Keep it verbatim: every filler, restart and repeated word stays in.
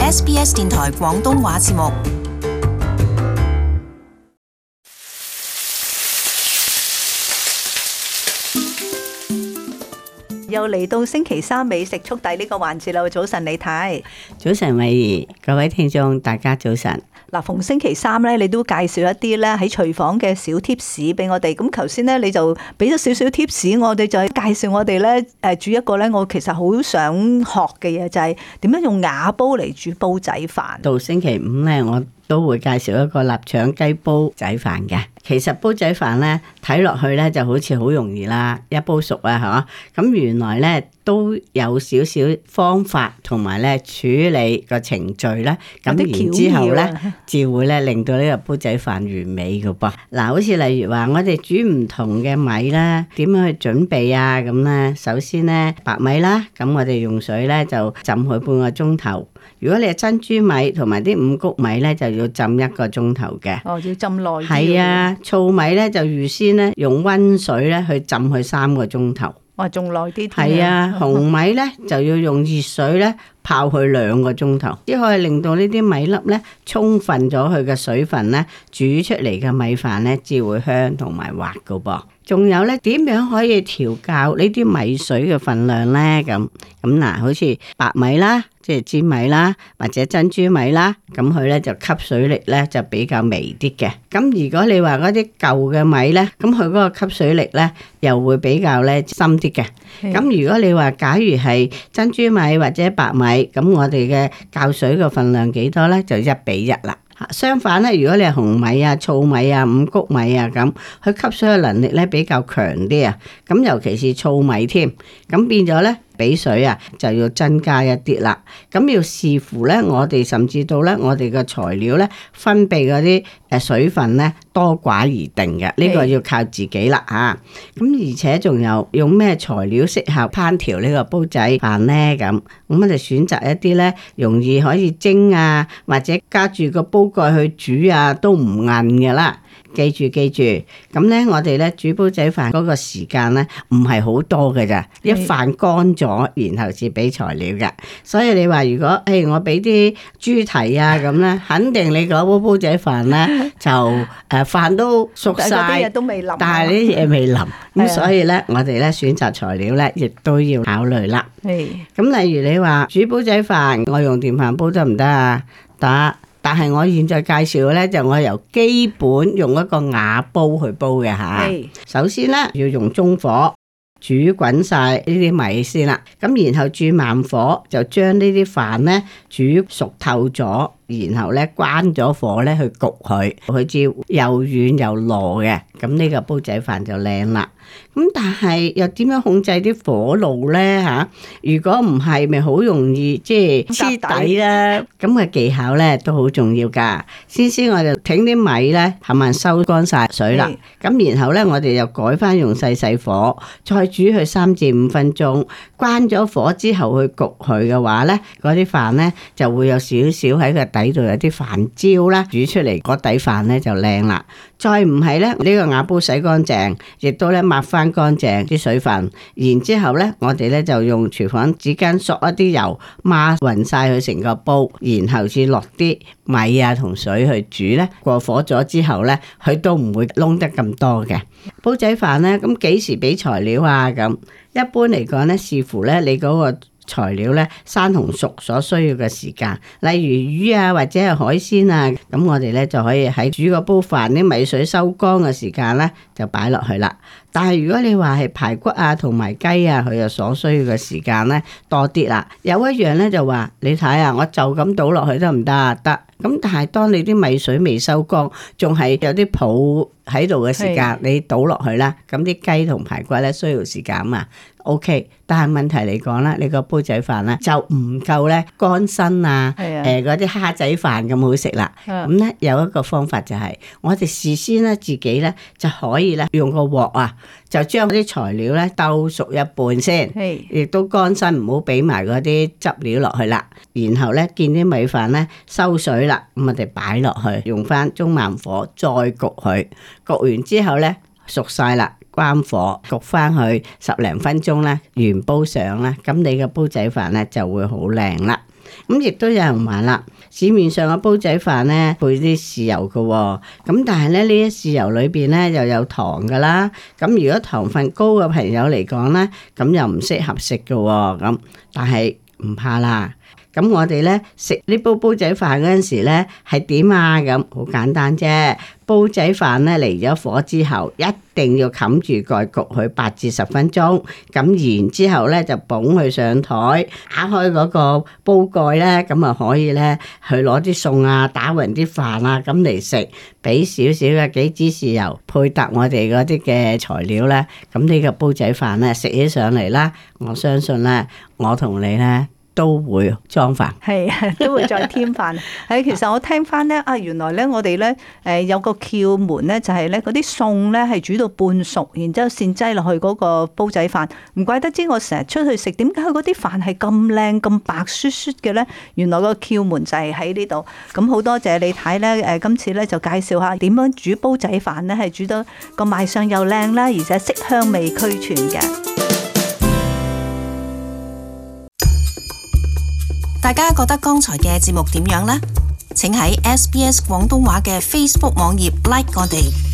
S B S 電台廣東話節目。又嚟到星期三美食速遞呢個環節啦！早晨李太，早晨慧儀，各位聽眾大家早晨。嗱，逢星期三咧，你都介紹一啲咧喺廚房嘅小貼士俾我哋。咁頭先咧，你就俾咗少少貼士，我哋就係介紹我哋咧誒煮一個咧，我其實好想學嘅嘢，就係點樣用瓦煲嚟煮煲仔飯。到星期五咧，我都會介紹一個臘腸雞煲仔飯嘅。其實煲仔飯咧睇落去咧就好似好容易啦，一煲熟啊，嚇。咁原來咧都有少少方法同埋咧處理個程序咧。咁然之後咧，至會咧令到呢個煲仔飯完美嘅噃。嗱，好似例如話，我哋煮唔同嘅米啦，點樣去準備啊？咁咧，首先咧白米啦，咁我哋用水咧就浸佢半個鐘頭。如果你係珍珠米同埋啲五穀米咧，就要浸一個鐘頭嘅。哦，要浸耐啲。係啊，糙米咧就預先咧用溫水咧去浸佢三個鐘頭。哇，仲耐啲。係啊，紅米咧就要用熱水咧泡佢兩個鐘頭，只可以令到呢啲米粒咧充分咗佢嘅水分咧，煮出嚟嘅米飯咧至會香同埋滑噶噃。仲有咧，點樣可以調校呢啲米水嘅份量咧？咁咁嗱，好似白米啦，即係粘米啦，或者珍珠米啦，咁佢咧就吸水力咧就比較微啲嘅。咁如果你話嗰啲舊嘅米咧，咁佢嗰個吸水力咧又會比較咧深啲嘅。咁如果你話假如係珍珠米或者白米，咁我哋嘅校水嘅份量幾多咧？就一比一啦。相反咧，如果你係紅米啊、糙米啊、五穀米啊咁，佢吸水嘅能力咧比較強啲啊。咁尤其是糙米添，咁變咗咧比水啊就要增加一啲啦。咁要視乎咧，我哋甚至到咧我哋嘅材料咧分泌嗰啲誒水分咧多寡而定嘅。呢、這個要靠自己啦嚇。咁而且仲有用咩材料適合烹調呢個煲仔飯咧？咁咁我哋選擇一啲咧容易可以蒸啊，或者加住個煲蓋去煮啊，都唔韌嘅啦。記住記住，咁咧我哋咧煮煲仔飯嗰個時間咧唔係好多嘅咋，一飯乾咗，然後至俾材料嘅。所以你話如果誒、哎、我俾啲豬蹄啊咁咧，肯定你嗰煲煲仔飯咧就誒、呃、飯都熟晒，都未腍，但係啲嘢未腍，咁所以咧我哋咧選擇材料咧亦都要考慮啦。咁例如你話煮煲仔飯，我用電飯煲得唔得啊？得。但係我現在介紹嘅咧，就我由基本用一個瓦煲去煲嘅吓。首先咧要用中火煮滾晒呢啲米先啦，咁然後轉慢火就將呢啲飯咧煮熟透咗，然後咧關咗火咧去焗佢，佢至又軟又糯嘅，咁呢個煲仔飯就靚啦。咁但係又點樣控制啲火爐咧吓？如果唔係，咪好容易即係黐底啦。咁嘅技巧咧都好重要噶。先先我就整啲米咧，係咪收乾晒水啦？咁然後咧我哋又改翻用細細火，再煮佢三至五分鐘。關咗火之後去焗佢嘅話咧，嗰啲飯咧就會有少少喺個底度有啲飯焦啦，煮出嚟嗰底飯咧就靚啦。再唔係咧，呢個瓦煲洗乾淨，亦都咧抹翻乾淨啲水分，然之後咧，我哋咧就用廚房紙巾索一啲油，抹勻晒佢成個煲，然後至落啲米啊同水去煮咧。過火咗之後咧，佢都唔會燶得咁多嘅。煲仔飯咧，咁幾時俾材料啊？咁一般嚟講咧，視乎咧你嗰個材料咧生同熟所需要嘅時間，例如魚啊或者係海鮮啊，咁我哋咧就可以喺煮個煲飯啲米水收乾嘅時間咧就擺落去啦。但係如果你話係排骨啊同埋雞啊，佢又所需要嘅時間咧多啲啦。有一樣咧就話你睇啊，我就咁倒落去得唔得啊？得。咁但係當你啲米水未收乾，仲係有啲泡喺度嘅時間，你倒落去啦，咁啲雞同排骨咧需要時間嘛。O、okay, K， 但係問題嚟講啦，你個煲仔飯咧就唔夠咧乾身啊，誒嗰啲蝦仔飯咁好食啦。咁咧有一個方法就係、是，我哋事先咧自己咧就可以咧用個鑊啊，就將啲材料咧兜熟一半先，亦都乾身，唔好俾埋嗰啲汁料落去啦。然後咧見啲米飯咧收水啦，咁我哋擺落去，用翻中慢火再焗佢，焗完之後咧熟晒啦。關火焗翻去十零分鐘咧，原煲上啦，咁你嘅煲仔飯咧就會好靚啦。咁亦都有人話啦，市面上嘅煲仔飯咧配啲豉油嘅喎，咁但係咧呢啲豉油裏邊咧又有糖㗎啦，咁如果糖分高嘅朋友嚟講咧，咁又唔適合食嘅喎，咁但係唔怕啦。咁我哋咧食呢煲煲仔飯嗰陣時咧係點啊？咁好簡單啫。煲仔飯咧嚟咗火之後，一定要冚住蓋焗佢八至十分鐘。咁然之後咧就捧佢上台，打開嗰個煲蓋咧，咁啊可以咧去攞啲餸啊，打勻啲飯啊咁嚟食，俾少少嘅幾支豉油配搭我哋嗰啲嘅材料咧，咁呢個煲仔飯咧食起上嚟啦，我相信咧我同你咧都會裝飯，係啊，都會再添飯。係其實我聽翻咧啊，原來咧我哋咧誒有個竅門咧，就係咧嗰啲餸咧係煮到半熟，然之後先擠落去嗰個煲仔飯。唔怪得知我成日出去食，點解佢嗰啲飯係咁靚咁白雪雪嘅咧？原來個竅門就係喺呢度。咁好多謝你睇咧誒，今次咧就介紹下點樣煮煲仔飯咧，係煮到個賣相又靚啦，而且色香味俱全嘅。大家覺得剛才嘅節目點樣呢？請喺 S B S 廣東話嘅 Facebook 網頁 like 我哋。